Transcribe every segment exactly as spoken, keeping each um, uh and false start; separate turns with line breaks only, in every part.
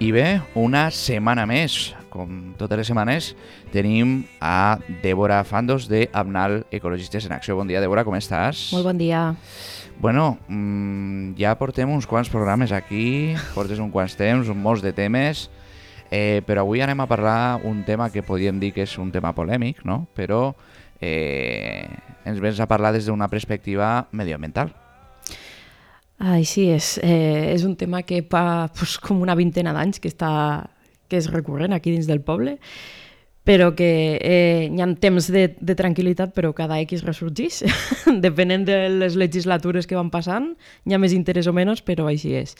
I bé, una setmana més. Com totes les setmanes, tenim a Débora Fandos de Abnal Ecologistes en Acció. Bon dia, Débora, com estàs?
Molt bon dia.
Bueno, mmm, ja portem uns quants programes aquí, portes uns quants temps, molts de temes, eh, però avui anem a parlar un tema que podríem dir que és un tema polèmic, no? Però eh, ens vens a parlar des d'una perspectiva medioambiental.
Així és. Eh, és un tema que fa pues, com una vintena d'anys que, està, que és recurrent aquí dins del poble, però que eh, hi ha temps de, de tranquil·litat, però cada X ressorgís. Depenent de les legislatures que van passant, hi ha més interès o menys, però així és.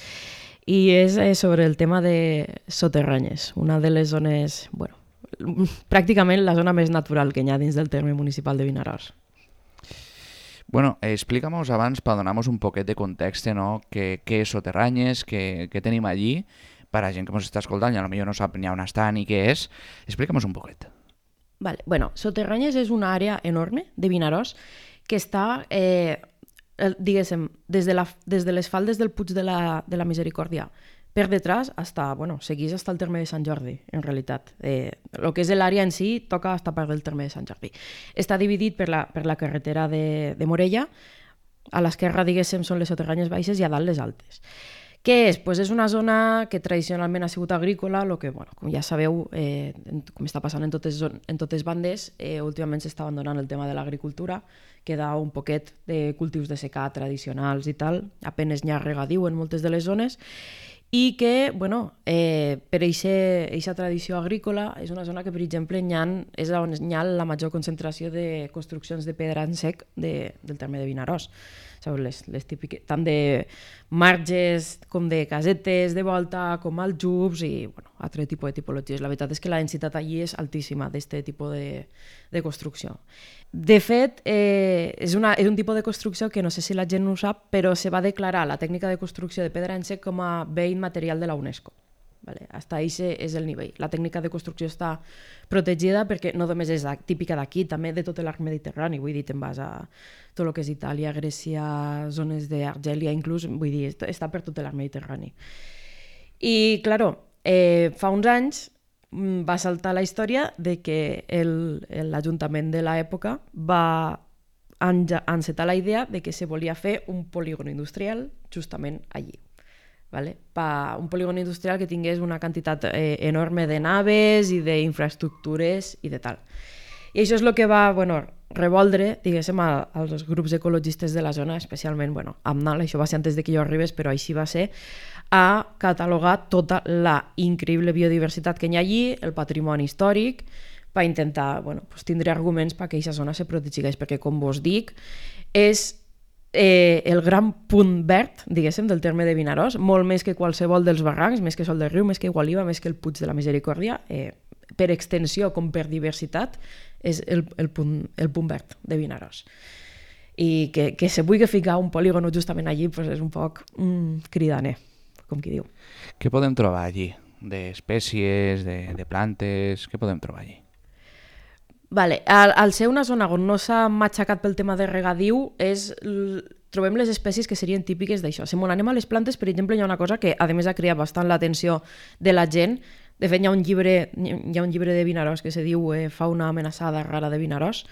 I és eh, sobre el tema de Soterranyes, una de les zones, bueno, pràcticament la zona més natural que hi ha dins del terme municipal de Vinaròs.
Bueno, explícanos abans per donar-nos un poquet de context, no? Què, què és Soterranyes, què, què tenim allí, per a gent que ens està escoltant i potser no sap ni on està ni què és. Explica'm un poquet.
Vale. Bueno, Soterranyes és una àrea enorme de Vinaròs que està, eh, diguéssim, des de, la, des de les faldes del Puig de la, de la Misericòrdia per detrás, hasta, bueno, seguís hasta el terme de Sant Jordi, en realitat. Eh, el que és l'àrea en si toca hasta part del terme de Sant Jordi. Està dividit per la, per la carretera de, de Morella. A l'esquerra, diguéssim, són les Soterranyes baixes i a dalt les altes. Què és? Pues és una zona que tradicionalment ha sigut agrícola, el que, bueno, com ja sabeu, eh, com està passant en totes, en totes bandes, eh, últimament s'està abandonant el tema de l'agricultura, queda un poquet de cultius de secà tradicionals i tal, apenes n'hi ha regadiu en moltes de les zones, i que, bueno, eh, per aquesta tradició agrícola és una zona que, per exemple, ha, és on hi ha la major concentració de construccions de pedra en sec de, del terme de Vinaròs. Sabeu, les, les típiques, tant de marges com de casetes de volta, com aljubs i bueno, altre tipus de tipologies. La veritat és que la densitat allí és altíssima d'aquest tipus de, de construcció. De fet, eh, és, una, és un tipus de construcció que no sé si la gent no ho sap, però se va declarar la tècnica de construcció de pedra en sec com a bé immaterial de la UNESCO. Vale? Hasta ahí és el nivell. La tècnica de construcció està protegida perquè no només és típica d'aquí, també de tot l'arc mediterrani. Vull dir, te'n vas a tot el que és Itàlia, Grècia, zones d'Argèlia, inclús, vull dir, està per tot l'arc mediterrani. I, claro, eh, fa uns anys va saltar la història de que el, l'Ajuntament de l'època va encetar la idea de que se volia fer un polígon industrial justament allí. Vale? Pa un polígon industrial que tingués una quantitat eh, enorme de naves i d'infraestructures i de tal. I això és el que va, bueno, revoldre, diguéssim, als grups ecologistes de la zona, especialment, bueno, Abnal, això va ser antes de que jo arribés, però així va ser, a catalogar tota la increïble biodiversitat que hi ha allí, el patrimoni històric, per intentar, bueno, pues, tindre arguments perquè aquesta zona se protegeix, perquè, com vos dic, és Eh, el gran punt verd, diguéssim, del terme de Vinaròs, molt més que qualsevol dels barrancs, més que Sol del Riu, més que Igualiva, més que el Puig de la Misericòrdia, eh, per extensió com per diversitat, és el, el, punt, el punt verd de Vinaròs. I que, que se vulgui ficar un polígon justament allí pues és un poc mm, cridaner, com qui diu.
Què podem trobar allí? D'espècies, de, de plantes, què podem trobar allí?
Vale. Al, al ser una zona on no s'ha matxacat pel tema de regadiu, és, trobem les espècies que serien típiques d'això. Si m'ho anem a les plantes, per exemple, hi ha una cosa que a més ha creat bastant l'atenció de la gent. De fet, hi ha un llibre, hi ha un llibre de Vinaròs que se diu eh, Fauna amenaçada rara de Vinaròs,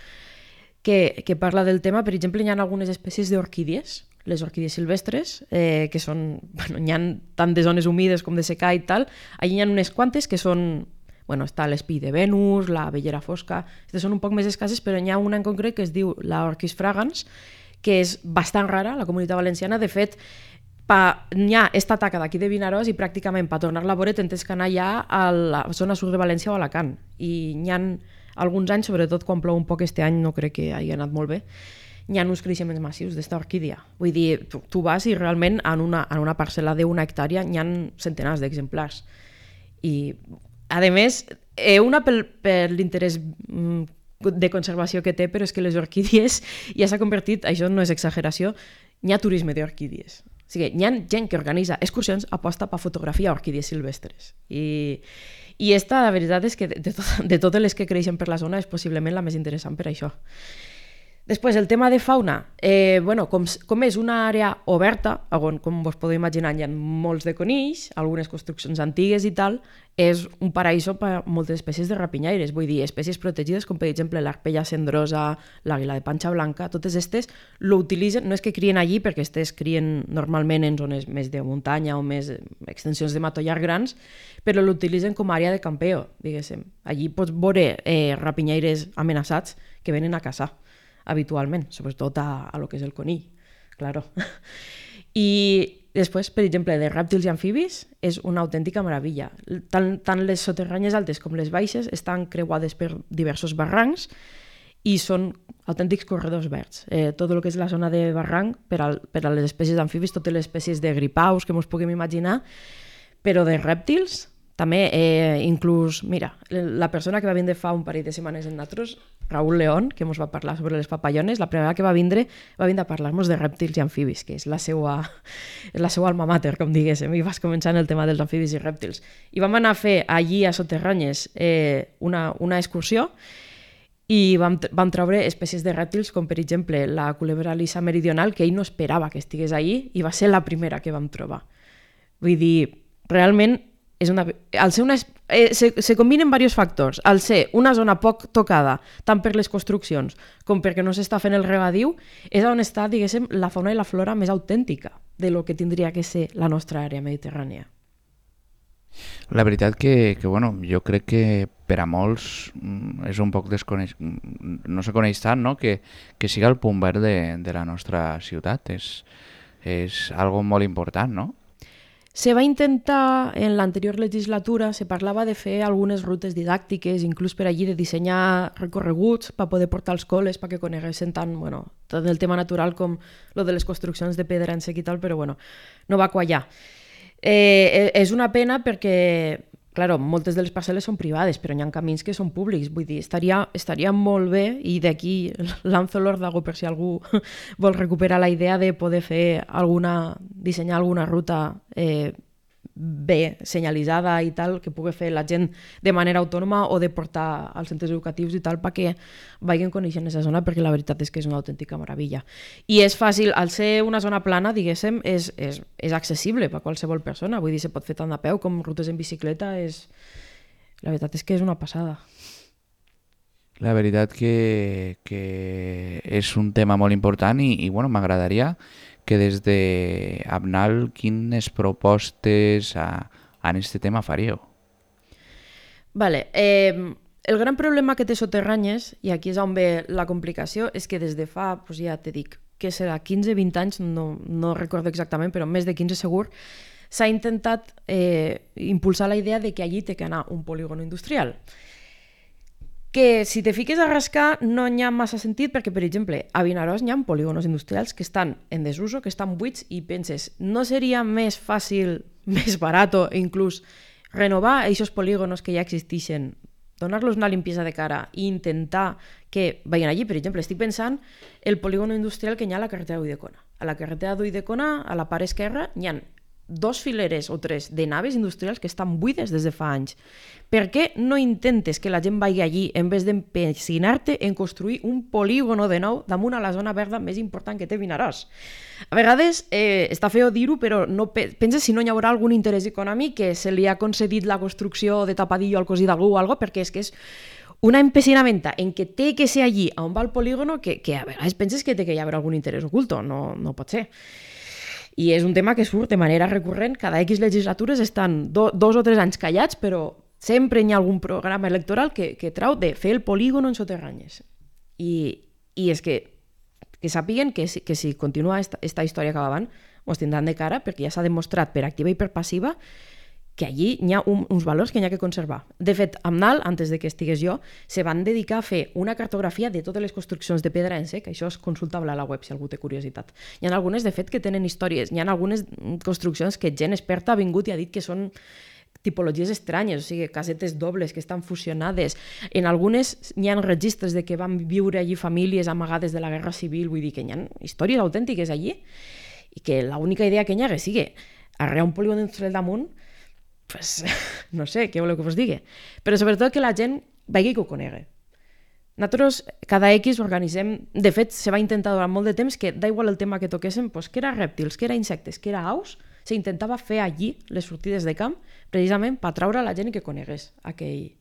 que, que parla del tema. Per exemple, hi ha algunes espècies d'orquídies, les orquídies silvestres, eh, que són, bueno, hi ha tant de zones humides com de secà i tal. Allí hi ha unes quantes que són... Bueno, està l'espill de Venus, la vellera fosca, aquestes són un poc més escasses, però n'hi ha una en concret que es diu la Orchis fragans, que és bastant rara a la Comunitat Valenciana. De fet, n'hi ha esta taca d'aquí de Vinaròs i pràcticament per tornar-la a veure tens que anar ja a la zona sud de València o a Alacant. I n'hi ha alguns anys, sobretot quan plou un poc este any, no crec que hagi anat molt bé, n'hi ha uns creixements massius d'esta orquídia. Vull dir, tu, tu vas i realment en una, en una parcel·la d'una hectàrea n'hi ha centenars d'exemplars. I... A més, una per, per l'interès de conservació que té, però és que les orquídies ja s'ha convertit, això no és exageració, n'hi ha turisme d'orquídies. O sigui, hi ha gent que organitza excursions aposta per fotografiar orquídies silvestres. I, i esta, la veritat és que de, tot, de totes les que creixen per la zona és possiblement la més interessant per això. Després, el tema de fauna, eh, bueno, com, com és una àrea oberta, on, com vos podeu imaginar, hi ha molts de conills, algunes construccions antigues i tal, és un paraíso per a moltes espècies de rapinyaires, vull dir, espècies protegides com per exemple l'arpella cendrosa, l'àguila de panxa blanca, totes aquestes l'utilitzen, no és que crien allí perquè aquestes crien normalment en zones més de muntanya o més extensions de matollar grans, però l'utilitzen com a àrea de campeo, diguéssim. Allí pots veure eh, rapinyaires amenaçats que venen a caçar habitualment, sobretot a, a lo que és el conill, claro. I després, per exemple, de rèptils i amfibis, és una autèntica meravella. Tant, tant les soterranyes altes com les baixes estan creuades per diversos barrancs i són autèntics corredors verds. Eh, tot el que és la zona de barranc, per a, per a les espècies d'amfibis, totes les espècies de gripaus que ens puguem imaginar, però de rèptils, també, eh, inclús, mira, la persona que va vindre fa un parell de setmanes en nosaltres, Raúl León, que ens va parlar sobre les papallones, la primera que va vindre va vindre a parlar-nos de rèptils i amfibis, que és la seva, és la seva alma mater, com diguéssim, i vas començar en el tema dels amfibis i rèptils. I vam anar a fer allí a Soterranyes eh, una, una excursió i vam, vam treure espècies de rèptils com, per exemple, la culebra lisa meridional, que ell no esperava que estigués allí i va ser la primera que vam trobar. Vull dir, realment, és una, al ser una, eh, se, se combinen diversos factors. Al ser una zona poc tocada, tant per les construccions com perquè no s'està fent el regadiu, és on està, diguéssim, la fauna i la flora més autèntica de lo que tindria que ser la nostra àrea mediterrània.
La veritat que, que bueno, jo crec que per a molts és un poc desconeix... no se coneix tant, no? que, que siga el punt verd de, de la nostra ciutat. És, és algo molt important, no?
Se va intentar, en l'anterior legislatura, se parlava de fer algunes rutes didàctiques, inclús per allí de dissenyar recorreguts per poder portar als col·les perquè coneguessin tant, bueno, tant el tema natural com lo de les construccions de pedra en sec i tal, però bueno, no va quallar. Eh, és una pena perquè, claro, moltes de les parcel·les són privades, però hi ha camins que són públics, vull dir, estaria, estaria molt bé, i d'aquí lanzo l'òrdago per si algú vol recuperar la idea de poder fer alguna, dissenyar alguna ruta eh, bé senyalitzada i tal, que pugui fer la gent de manera autònoma o de portar als centres educatius i tal perquè vagin coneixent aquesta zona, perquè la veritat és que és una autèntica meravella. I és fàcil, al ser una zona plana, diguéssim, és, és, és accessible per a qualsevol persona, vull dir, se pot fer tant a peu com rutes en bicicleta, és... la veritat és que és una passada.
La veritat que, que és un tema molt important i, i bueno, m'agradaria que des de Abnal quines propostes a, en aquest tema faríeu?
Vale, eh, el gran problema que té Soterranyes, i aquí és on ve la complicació, és que des de fa, doncs ja te dic, que serà quinze vint anys, no, no recordo exactament, però més de quinze segur, s'ha intentat eh, impulsar la idea de que allí té que anar un polígon industrial. Que si te fiques a rascar no hi ha massa sentit perquè, per exemple, a Vinaròs hi ha polígonos industrials que estan en desuso, que estan buits i penses, no seria més fàcil, més barat o inclús renovar aquests polígonos que ja existeixen, donar-los una limpiesa de cara i intentar que vagin allí? Per exemple, estic pensant el polígono industrial que hi ha a la carretera d'Ulldecona. A la carretera d'Ulldecona, a la part esquerra, hi ha dos fileres o tres de naves industrials que estan buides des de fa anys. Per què no intentes que la gent vagi allí en vez d'empecinar-te en construir un polígono de nou damunt a la zona verda més important que té Vinaròs? A vegades eh, està feo dir-ho, però no pe penses si no hi haurà algun interès econòmic que se li ha concedit la construcció de tapadillo al cosí d'algú o alguna cosa, perquè és que és una empecinamenta en què té que ser allí on va el polígono que, que a vegades penses que té que hi haver algun interès oculto. No, no pot ser. I és un tema que surt de manera recurrent, cada X legislatures estan do, dos o tres anys callats, però sempre hi ha algun programa electoral que, que trau de fer el polígono en Soterranyes. I, i és que, que sàpiguen que, que si continua esta, esta història que va avant, ens tindran de cara, perquè ja s'ha demostrat per activa i per passiva que allí hi ha un, uns valors que hi ha que conservar. De fet, Abnal, antes de que estigués jo, se van dedicar a fer una cartografia de totes les construccions de pedra en sec, això és consultable a la web si algú té curiositat. Hi ha algunes, de fet, que tenen històries, hi ha algunes construccions que gent experta ha vingut i ha dit que són tipologies estranyes, o sigui, casetes dobles que estan fusionades. En algunes hi ha registres de que van viure allí famílies amagades de la Guerra Civil, vull dir que hi ha històries autèntiques allí i que l'única idea que hi ha que sigui arrear un polígon industrial damunt, pues, no sé, què voleu que vos digui? Però sobretot que la gent vegi que ho conegui. Nosaltres cada X organitzem, de fet se va intentar durant molt de temps que da igual el tema que toquéssim, pues, que era rèptils, que era insectes, que era aus, s'intentava fer allí les sortides de camp precisament per atraure la gent que conegués aquell,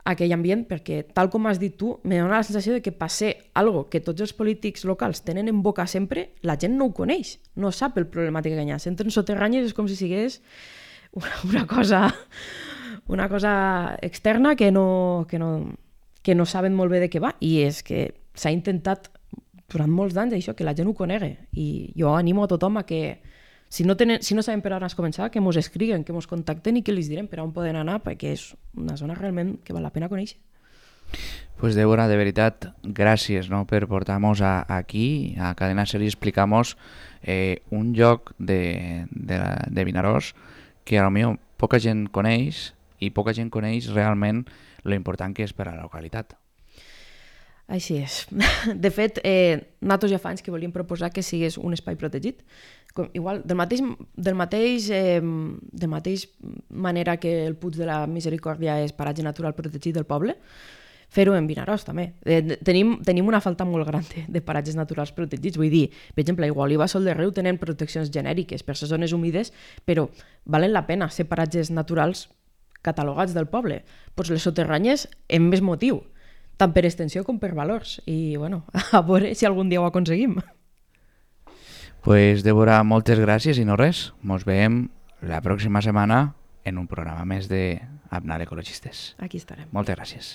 aquell ambient, perquè tal com has dit tu, me dona la sensació de que per ser algo que tots els polítics locals tenen en boca sempre, la gent no ho coneix, no sap el problemàtic que hi ha. Si entren soterranyes és com si sigués una, una cosa una cosa externa que no, que, no, que no saben molt bé de què va, i és que s'ha intentat durant molts d'anys això, que la gent ho conegui, i jo animo a tothom a que si no, tenen, si no saben per on has començar, que mos escriguen, que mos contacten i que els direm per on poden anar, perquè és una zona realment que val la pena conèixer.
Pues Débora, de veritat, gràcies, no, per portar-nos aquí, a Cadena Ser, i explicar-nos eh, un lloc de, de, de Vinaròs que potser poca gent coneix, i poca gent coneix realment lo important que és per a la localitat.
Així és. De fet, eh, nosaltres ja fa anys que volíem proposar que sigués un espai protegit. Com, igual, del mateix, del mateix, eh, de mateix manera que el Puig de la Misericòrdia és paratge natural protegit del poble, fer-ho en Vinaròs també. Eh, tenim, tenim una falta molt gran de, de paratges naturals protegits. Vull dir, per exemple, a Igualí i Sol de Riu tenen proteccions genèriques per les zones humides, però valen la pena ser paratges naturals catalogats del poble. Pues les soterranyes en més motiu, tant per extensió com per valors. I bueno, a veure si algun dia ho aconseguim.
Pues Débora, moltes gràcies i no res. Ens veiem la pròxima setmana en un programa més de Abnar Ecologistes.
Aquí estarem.
Moltes gràcies.